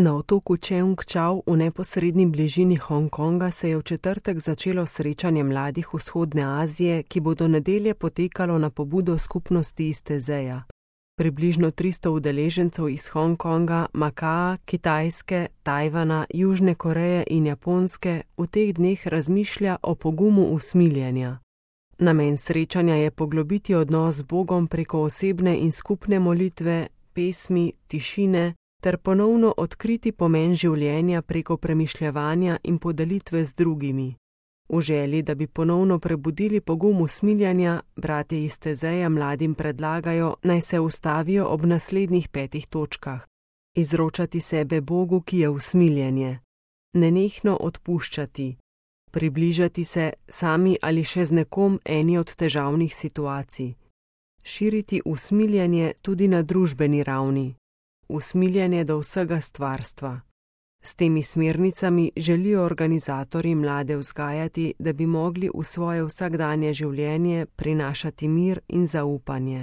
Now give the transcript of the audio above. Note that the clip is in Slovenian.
Na otoku Cheung Chau v neposredni bližini Hongkonga se je v četrtek začelo srečanje mladih vzhodne Azije, ki bo do nedelje potekalo na pobudo skupnosti iz Tezeja. Približno 300 udeležencev iz Hongkonga, Makaa, Kitajske, Tajvana, Južne Koreje in Japonske v teh dneh razmišlja o pogumu usmiljenja. Namen srečanja je poglobiti odnos z Bogom preko osebne in skupne molitve, pesmi, tišine ter ponovno odkriti pomen življenja preko premišljevanja in podelitve z drugimi. V želji, da bi ponovno prebudili pogum usmiljenja, bratje iz Tezeja mladim predlagajo, naj se ustavijo ob naslednjih 5 točkah. Izročati sebe Bogu, ki je usmiljenje. Nenehno odpuščati. Približati se sami ali še z nekom eni od težavnih situacij. Širiti usmiljenje tudi na družbeni ravni. Usmiljenje do vsega stvarstva. S temi smernicami želijo organizatorji mlade vzgajati, da bi mogli v svoje vsakdanje življenje prinašati mir in zaupanje.